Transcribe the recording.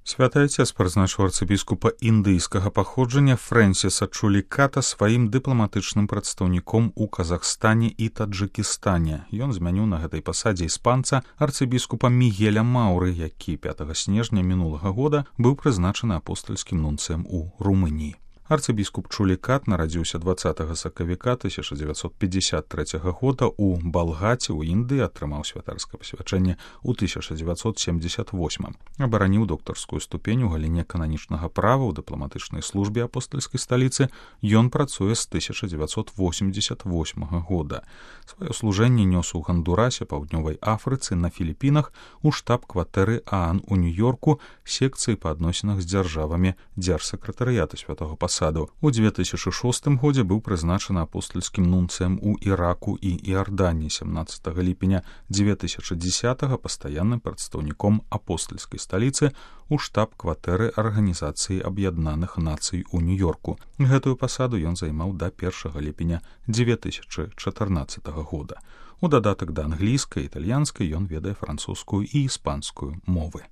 Святы Отец прызначыў арцыбіскупа індыйскага паходжання Фрэнсіса Чуліката сваім дыпламатычным прадстаўніком у Казахстане і Таджыкістане. Ён змяніў на гэтай пасадзе іспанца арцыбіскупа Мігеля Мауры, які 5 снежня мінулага года быў прызначаны апостальскім нунцыем у Румыніі. Арцыбіскуп Чулікат нарадзіўся 20 сакавіка 1953 года ў Балгаці ў Індыі, атрымаў святарскае пасвячэнне ў 1978. Абараніў доктарскую ступень у галіне кананічнага права ў дыпламатычнай службе апостальскай сталіцы. Ён працуе з 1988 года. Сваё служэнне нёс у Гандурасе, Паўднёвай Афрыцы, на Філіпінах, у штаб-кватэры ААН у Нью-Йорку, секцыі па адносінах з дзяржавамі дзяржсакратарыята святого пасаду. У 2006 годзе быў прызначаны апостальскім нунцыем у Іраку і Іарданіі, 17 ліпеня 2010 пастаянным прадстаўніком апостальскай сталіцы у штаб-кватэры Арганізацыі Аб'яднаных Нацый у Нью-Йорку. Гэтую пасаду ён займаў да 1 ліпеня 2014 года. У дадатак да англійскай і італьянскай ён ведае французскую і іспанскую мовы.